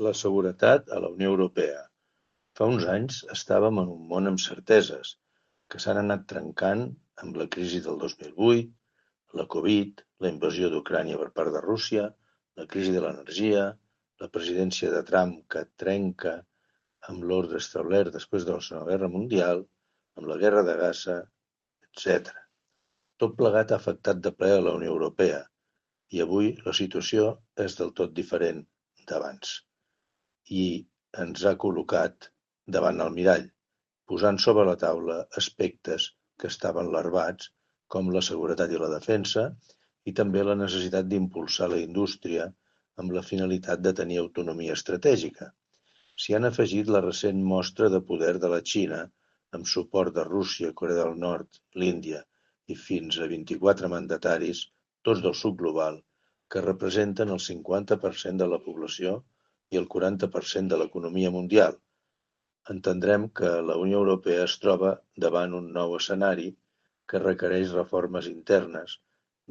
La seguretat a la Unió Europea. Fa uns anys estàvem en un món amb certeses, que s'han anat trencant amb la crisi del 2008, la Covid, la invasió d'Ucrània per part de Rússia, la crisi de l'energia, la presidència de Trump que trenca amb l'ordre establert després de la Segona Guerra Mundial, amb la guerra de Gaza, etc. Tot plegat ha afectat de ple a la Unió Europea i avui la situació és del tot diferent d'abans i ens ha col·locat davant el mirall, posant sobre la taula aspectes que estaven larvats, com la seguretat i la defensa, i també la necessitat d'impulsar la indústria amb la finalitat de tenir autonomia estratègica. S'hi han afegit la recent mostra de poder de la Xina, amb suport de Rússia, Corea del Nord, l'Índia i fins a 24 mandataris, tots del sud global, que representen el 50% de la població i el 40% de l'economia mundial. Entendrem que la Unió Europea es troba davant un nou escenari que requereix reformes internes,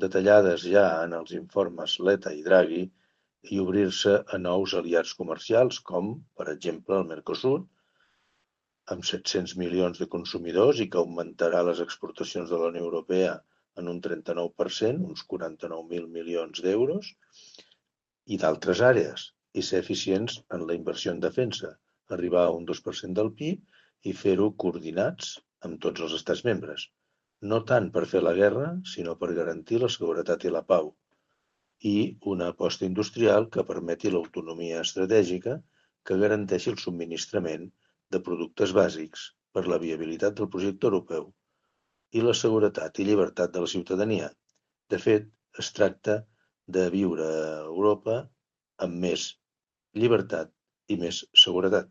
detallades ja en els informes Letta i Draghi, i obrir-se a nous aliats comercials com, per exemple, el Mercosur, amb 700 milions de consumidors i que augmentarà les exportacions de la Unió Europea en un 39%, uns 49.000 milions d'euros, i d'altres àrees, i ser eficients en la inversió en defensa, arribar a un 2% del PIB i fer-ho coordinats amb tots els estats membres. No tant per fer la guerra, sinó per garantir la seguretat i la pau, i una aposta industrial que permeti l'autonomia estratègica que garanteixi el subministrament de productes bàsics per la viabilitat del projecte europeu i la seguretat i llibertat de la ciutadania. De fet, es tracta de viure a Europa amb més llibertat i més seguretat.